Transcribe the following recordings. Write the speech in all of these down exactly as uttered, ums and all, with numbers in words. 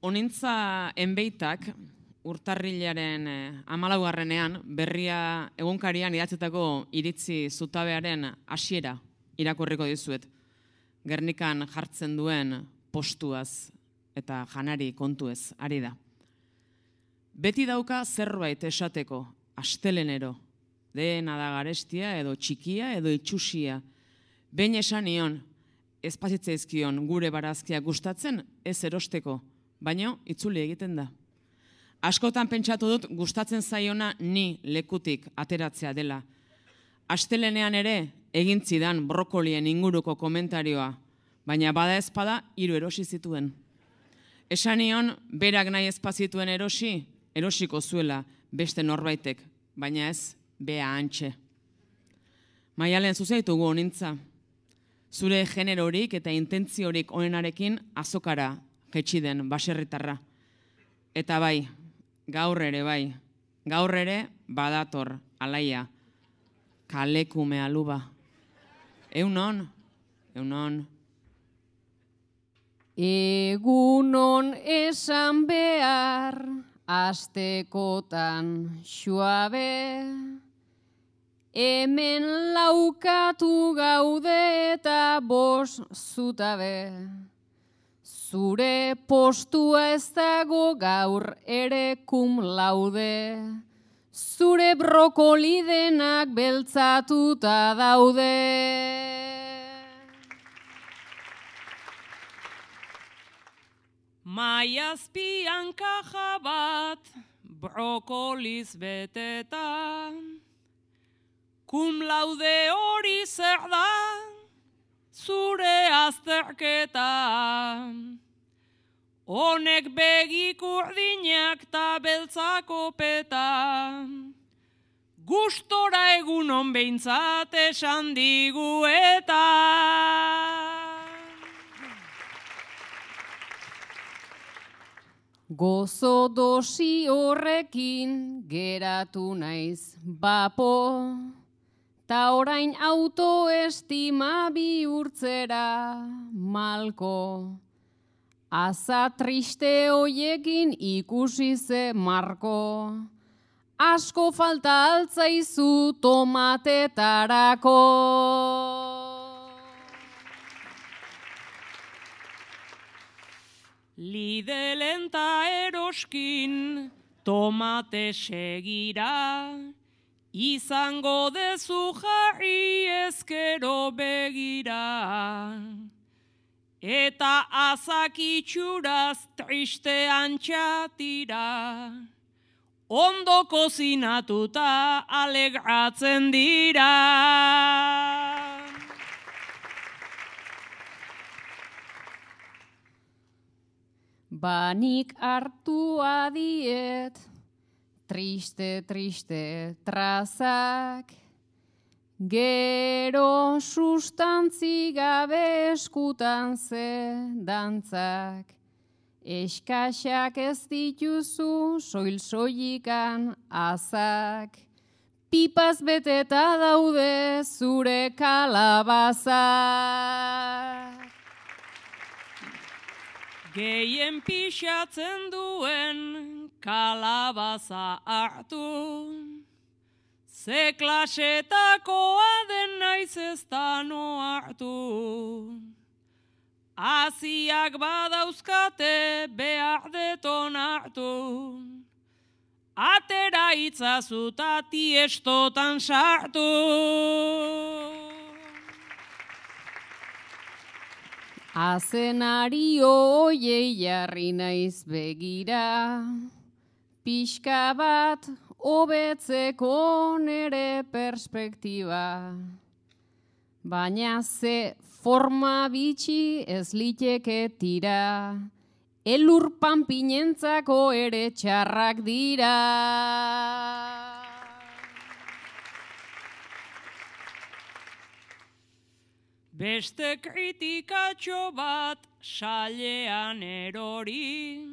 Honintza enbeitak urtarrilaren hamalaugarrenean berria egunkarian idatzetako iritzi zutabearen hasiera irakurriko dizuet. Gernikan jartzen duen postuaz eta janari kontuez ari da. Beti dauka zerbait esateko, astelenero, dena da garestia edo txikia edo itxusia. Behin esan nion, ez pasitzaizkion gure barazkiak gustatzen ez erosteko, baino itzuli egiten da. Askotan pentsatu dut gustatzen zaiona ni lekutik ateratzea dela. Astelenean ere egin zidan brokolien inguruko komentarioa, baina bada ezpada hiru erosi zituen. Esan nion, berak nahi ezpazituen erosi, erosiko zuela beste norbaitek, baina ez bea antxe. Maialen zuzaitugu honintza. Zure generorik eta intentziorik onenarekin azokara jetxi den baserritarra. Eta bai, gaur ere bai, gaur ere badator alaia, kalekume aluba. Eunon, eunon. Egunon esan behar, astekotan xuabe, hemen laukatu gaude eta bos zutabe. Zure postua ez dago gaur ere kum laude, zure brokoli denak beltzatuta daude. Maiazpian kaja bat, brokoliz beteta, kum laude hori zer da, zure azterketa. Honek begik urdinak ta beltzako peta, gustora egunon behintzat esan digu eta. Gozo dosi horrekin geratu naiz bapo, ta orain autoestima bihurtzera malko. Aza triste hoiekin ikusi ze marko, asko falta altzaizu tomatetarako. Lidelen ta eroskin tomate segira, izango dezu jarri ezkero begira. Eta azakitxuraz triste antxatira, ondo kozinatuta alegratzen dira. Banik hartu adiet, triste, triste trazak, gero sustantzi gabe eskutan ze dantzak. Eskaxak ez dituzu soil-soilikan azak, pipaz beteta daude zure kalabazak. Gehien pixatzen duen kalabaza hartu, ze klasetakoa den naiz ez da no hartu. Aziak badauzkate behar deton hartu, atera itzazuta tiestotan sartu. Azenari hoiei jarri naiz begira, pixka bat hobetzeko nere perspektiba. Baina ze forma bitxi ez liteke tira, elur panpinentzako ere txarrak dira. Beste kritikatxo bat sailean erori,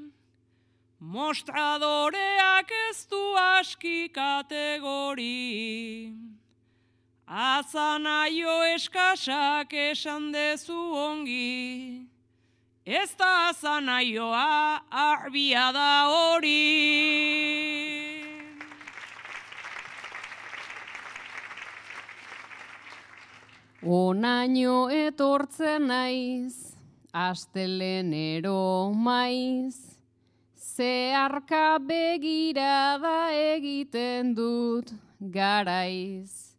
mostradoreak ez du aski kategori. Azanaio eskasak esan dezu ongi, ez da zanaioa, arbia da hori. Onaino etortzen naiz, astelenero maiz, zeharka begirada egiten dut garaiz.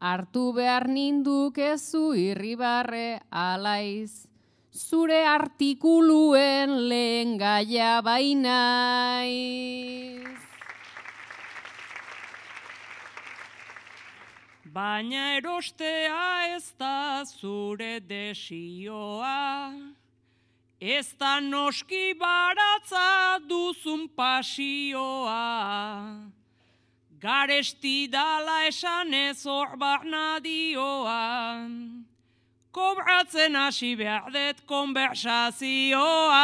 Hartu behar ninduk ezu irribarre alaiz, zure artikuluen lehen gaia bainaiz. Baina erostea ez da zure desioa, ez da noski baratza duzun pasioa. Garesti dala esan ez hor barnadioa, kobratzen hasi behar dut konversazioa.